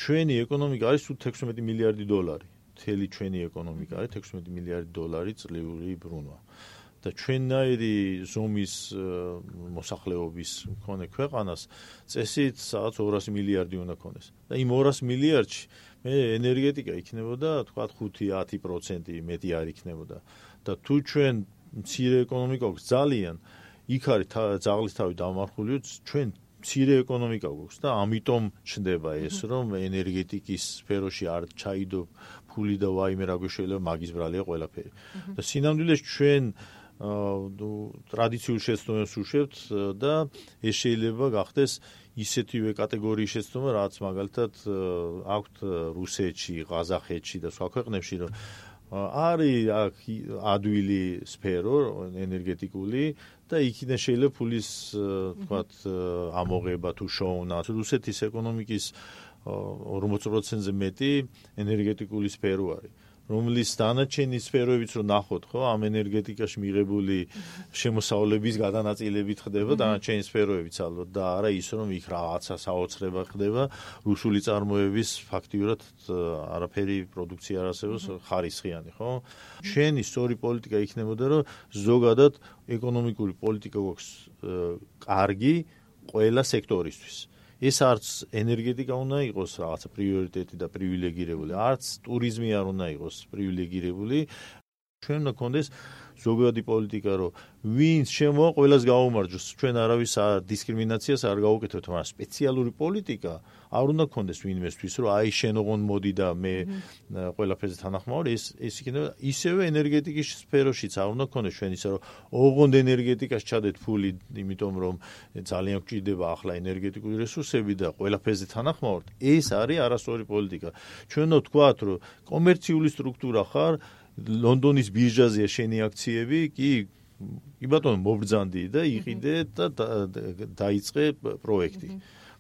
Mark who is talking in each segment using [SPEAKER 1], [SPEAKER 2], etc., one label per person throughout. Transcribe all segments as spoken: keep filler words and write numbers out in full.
[SPEAKER 1] ჩვენი ეკონომიკა არის სულ თექვსმეტი მილიარდი დოლარი. მთელი ჩვენი ეკონომიკა არის თექვსმეტი მილიარდი დოლარი წლიური ბრუნვა. და ჩვენნაირი ზომის მოსახლეობის მქონე ქვეყანას წესით სადაც ორასი მილიარდი უნდა ქონდეს. და იმ ორასი მილიარდში მე ენერგეტიკა იქნებოდა თქვა ხუთი ათი პროცენტი მეტი არ იქნებოდა. და თუ ჩვენ მცირე ეკონომიკა გვაქვს ძალიან იქ არის ძაღლის თავი დამარხულიო ჩვენ მცირე ეკონომიკა გვაქვს და ამიტომ ჩნდება ეს რომ ენერგეტიკის სფეროში არ ჩაიდო ფული და ვაიმე რა გვეშველება მაგის ბრალია ყველაფერი. და სინამდვილეში ჩვენ ტრადიციულ შეცდომებს უშვებთ და ეს შეიძლება გახდეს ისეთივე კატეგორიის შეცდომა, რაც მაგალითად აქვთ რუსეთში, ყაზახეთში და სხვა ქვეყნებში, რომ არის აქ ადვილი სფერო ენერგეტიკული და იქიდან შეიძლება ფულის თქვათ ამოღება თუ შოუნა. რუსეთის ეკონომიკის ორმოცი პროცენტზე მეტი ენერგეტიკული სფერო არის. რომლის დანარჩენი სფეროებიც რომ ნახოთ, ხო, ამ ენერგეტიკაში მიღებული შემოსავლების გადანაწილებით ხდება დანარჩენი სფეროებიც ალბათ და არა ის რომ იქ რაღაცა საოცრება ხდება, რუსული წარმოების ფაქტიურად არაფერი პროდუქცია არ არსებობს ხარისხიანი, ხო? ჩვენი სწორი პოლიტიკა იქნებოდა რომ ზოგადად ეკონომიკური პოლიტიკა გვაქვს კარგი ყველა სექტორისთვის. ეს არც ენერგეტიკა უნდა იყოს რაღაცა პრიორიტეტი და პრივილეგირებული, არც ტურიზმი არ უნდა იყოს პრივილეგირებული. ჩვენ უნდა გქონდეს ზოგადი პოლიტიკა, რომ ვინც შემოვა, ყველას გაუმარჯოს. ჩვენ არავის დისკრიმინაციას არ გავუკეთებთ, მაგრამ სპეციალური პოლიტიკა არ უნდა გქონდეს ვინმესთვის, რომ აი შენ ოღონდ მოდი და მე ყველაფერზე თანახმოვარ, ეს ეს იქნება ისევე ენერგეტიკის სფეროშიც არ უნდა გქონდეს ჩვენ ისე რომ ოღონდ ენერგეტიკას ჩადეთ ფული, იმიტომ რომ ძალიან გვჭირდება ახლა ენერგეტიკული რესურსები და ყველაფერზე თანახმოვართ. ეს არის არასწორი პოლიტიკა. ჩვენ უნდა ვთქვათ, რომ კომერციული სტრუქტურა ხარ, ლონდონის ბირჟაზეა შენი აქციები, კი კი ბატონო მობრძანდი და იყიდე და დაიწყე პროექტი.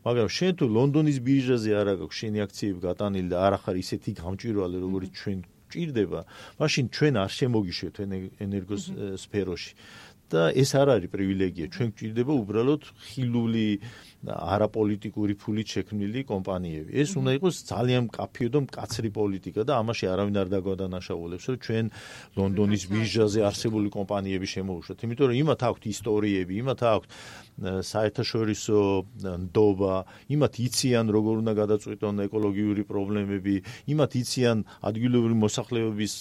[SPEAKER 1] მაგრამ შენ თუ ლონდონის ბირჟაზე არ აქვს შენი აქციები გატანილი და არ ახარ ისეთი გამჭვირვალე, როგორც ჩვენ გვჭირდება, მაშინ ჩვენ არ შემოგიშვებთ ენერგოს სფეროში. და ეს არ არის პრივილეგია. ჩვენ გვჭირდება უბრალოდ ხილული არაპოლიტიკური ფულით შექმნილი კომპანიები. ეს უნდა იყოს ძალიან მკაფიო და მკაცრი პოლიტიკა და ამაში არავინ არ დაგვადანაშაულებს, რომ ჩვენ ლონდონის ბირჟაზე არსებული კომპანიები შემოუშვათ. იმიტომ რომ იმათ აქვთ ისტორიები, იმათ აქვთ საერთაშორისო ნდობა, იმათ იციან როგორ უნდა გადაწყვიტონ ეკოლოგიური პრობლემები, იმათ იციან ადგილობრივი მოსახლეობის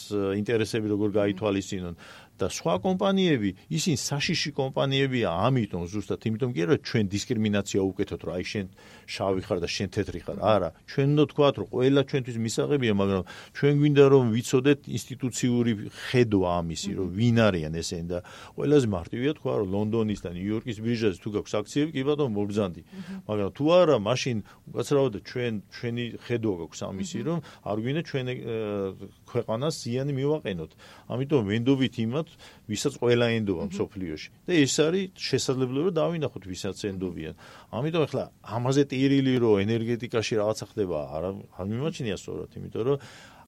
[SPEAKER 1] ინტერესები როგორ გაითვალისწინონ. და სხვა კომპანიები, ისინი საშიში კომპანიებია, ამიტომ ზუსტად იმიტომ კი არა ჩვენ დისკრიმინაცია უკეთოთ, რომ აი შენ შავი ხარ და შენ თეთრი ხარ. არა, ჩვენ უნდა თქვათ, რომ ყველა ჩვენთვის მისაღებია, მაგრამ ჩვენ გვინდა რომ ვიცოდეთ ინსტიტუციური ხედვა ამისი, რომ ვინ არიან ესენი და ყველაზე მარტივია თქვა, რომ ლონდონის და ნიუ-იორკის ბირჟაზე თუ გაქვს აქციები, კი ბატონო მობრძანდი. მაგრამ თუ არა, მაშინ უკაცრავად ჩვენ ჩვენი ხედვა გაქვს ამისი, რომ არ გვინდა ჩვენ ქვეყანას ზიანი მივაყენოთ. ამიტომ ვენდობით იმათ ვისაც ყველა ენდობა მსოფლიოში. და ეს არის შესაძლებლობა რომ დავინახოთ ვისაც ენდობიან. ამიტომ ახლა ამაზე ტირილი რომ ენერგეტიკაში რაღაცა ხდება არ არ მიმაჩნია სწორად, იმიტომ რომ